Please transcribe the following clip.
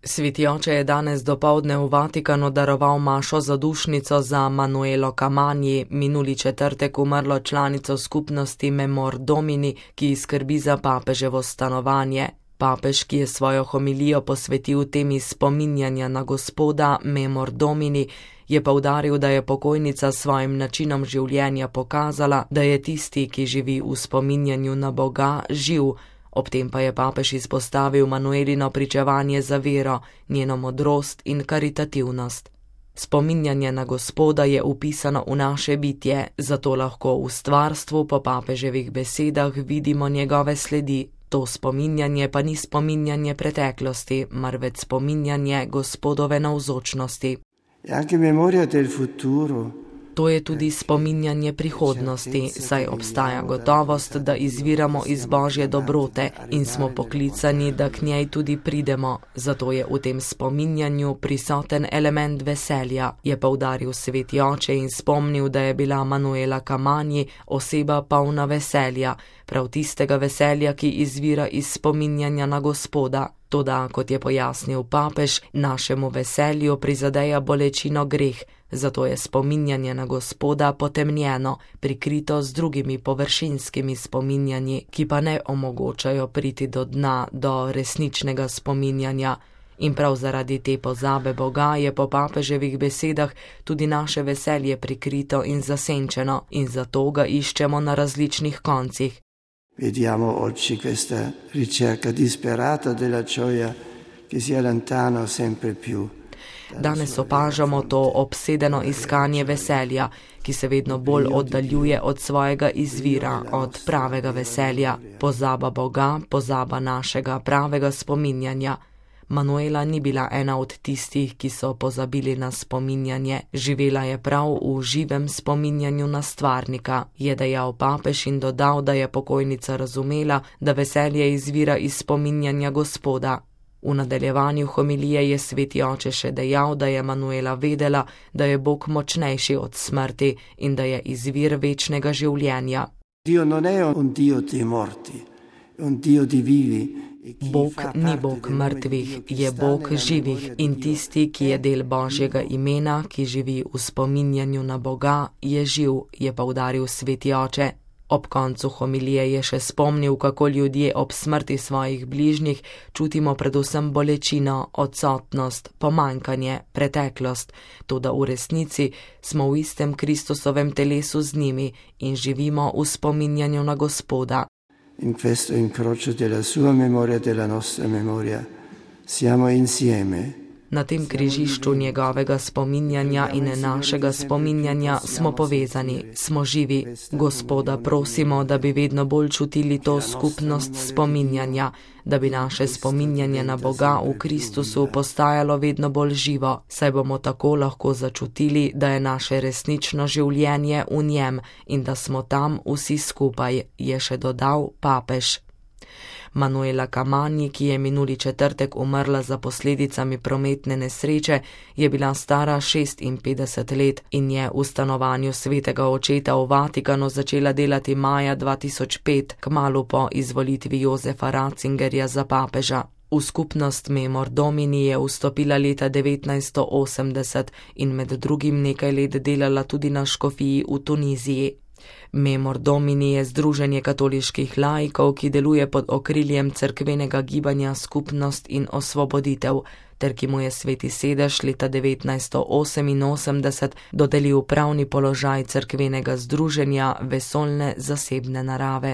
Sveti oče je danes dopoldne v Vatikanu daroval mašo zadušnico za Manuelo Camanji, minuli četrtek umrlo članico skupnosti Memor Domini, ki skrbi za papeževo stanovanje. Papež, ki je svojo homilijo posvetil temi spominjanja na Gospoda Memor Domini, je poudaril, da je pokojnica s svojim načinom življenja pokazala, da je tisti, ki živi v spominjanju na Boga, živ. Ob tem pa je papež izpostavil Manuelino pričevanje za vero, njeno modrost in karitativnost. Spominjanje na Gospoda je upisano v naše bitje, zato lahko v stvarstvu po papeževih besedah vidimo njegove sledi. To spominjanje pa ni spominjanje preteklosti, marveč spominjanje Gospodove navzočnosti. To je tudi spominjanje prihodnosti, saj obstaja gotovost, da izviramo iz Božje dobrote in smo poklicani, da k njej tudi pridemo. Zato je v tem spominjanju prisoten element veselja, je poudaril sveti oče in spomnil, da je bila Manuela Camanji oseba polna veselja, prav tistega veselja, ki izvira iz spominjanja na Gospoda. Toda, kot je pojasnil papež, našemu veselju prizadeja bolečino greh, zato je spominjanje na Gospoda potemnjeno, prikrito z drugimi površinskimi spominjanji, ki pa ne omogočajo priti do dna, do resničnega spominjanja. In prav zaradi te pozabe Boga je po papeževih besedah tudi naše veselje prikrito in zasenčeno in zato ga iščemo na različnih koncih. Vediamo oggi questa ricerca disperata della gioia che si allontana sempre più. Danes opažamo to obsedeno iskanje veselja, ki se vedno bolj oddaljuje od svojega izvira, od pravega veselja. Pozaba Boga, pozaba našega pravega spominjanja. Manuela ni bila ena od tistih, ki so pozabili na spominjanje. Živela je prav v živem spominjanju na stvarnika, je dejal papež in dodal, da je pokojnica razumela, da veselje izvira iz spominjanja Gospoda. V nadaljevanju homilije je sveti oče še dejal, da je Manuela vedela, da je Bog močnejši od smrti in da je izvir večnega življenja. Dio non è un Dio dei morti, è un Dio di vivi. Bog ni Bog mrtvih, je Bog živih in tisti, ki je del Božjega imena, ki živi v spominjanju na Boga, je živ, je poudaril sveti oče. Ob koncu homilije je še spomnil, kako ljudje ob smrti svojih bližnjih čutimo predvsem bolečino, odsotnost, pomanjkanje, preteklost, toda v resnici smo v istem Kristusovem telesu z njimi in živimo v spominjanju na Gospoda. In questo incrocio della sua memoria e della nostra memoria siamo insieme. Na tem križišču njegovega spominjanja in našega spominjanja smo povezani, smo živi. Gospoda prosimo, da bi vedno bolj čutili to skupnost spominjanja, da bi naše spominjanje na Boga v Kristusu postajalo vedno bolj živo, saj bomo tako lahko začutili, da je naše resnično življenje v njem in da smo tam vsi skupaj, je še dodal papež. Manuela Camanji, ki je minuli četrtek umrla za posledicami prometne nesreče, je bila stara 56 let in je v stanovanju svetega očeta v Vatikanu začela delati maja 2005, kmalu po izvolitvi Josefa Ratzingerja za papeža. V skupnost Memor Domini je vstopila leta 1980 in med drugim nekaj let delala tudi na škofiji v Tuniziji. Memor Domini je združenje katoliških laikov, ki deluje pod okriljem cerkvenega gibanja Skupnost in osvoboditev, ter ki mu je sveti sedež leta 1988 dodelil pravni položaj cerkvenega združenja vesoljne zasebne narave.